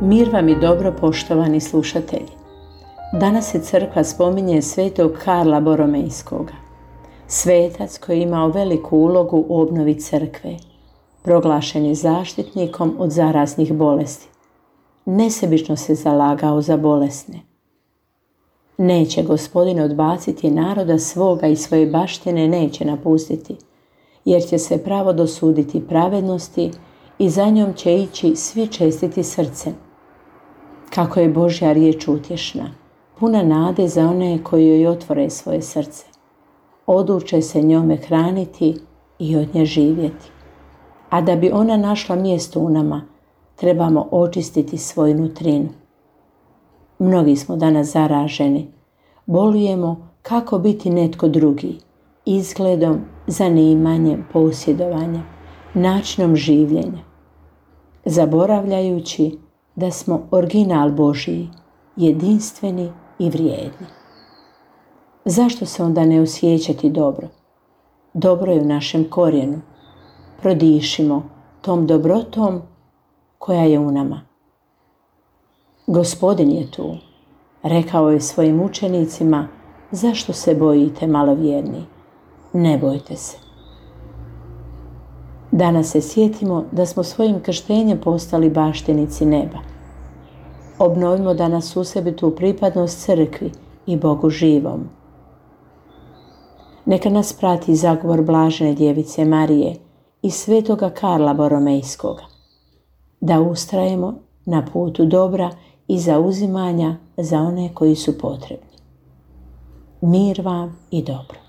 Mir vam i dobro, poštovani slušatelji. Danas se crkva spominje svetog Karla Boromejskoga. Svetac koji je imao veliku ulogu u obnovi crkve. Proglašen je zaštitnikom od zaraznih bolesti. Nesebično se zalagao za bolesne. Neće Gospodin odbaciti naroda svoga i svoje baštine neće napustiti, jer će se pravo dosuditi pravednosti i za njom će ići svi čestiti srcem. Kako je Božja riječ utješna, puna nade za one koji joj otvore svoje srce. Odluče se njome hraniti i od nje živjeti. A da bi ona našla mjesto u nama, trebamo očistiti svoju nutrinu. Mnogi smo danas zaraženi. Bolujemo kako biti netko drugi, izgledom, zanimanjem, posjedovanjem, načinom življenja, zaboravljajući da smo original Božiji, jedinstveni i vrijedni. Zašto se onda ne osjećati dobro? Dobro je u našem korijenu. Prodišimo tom dobrotom koja je u nama. Gospodin je tu. Rekao je svojim učenicima: zašto se bojite, malovjerni? Ne bojte se. Danas se sjetimo da smo svojim krštenjem postali baštinici neba. Obnovimo danas u sebi tu pripadnost crkvi i Bogu živom. Neka nas prati zagovor blažene djevice Marije i svetoga Karla Boromejskoga, da ustrajemo na putu dobra i zauzimanja za one koji su potrebni. Mir vam i dobro.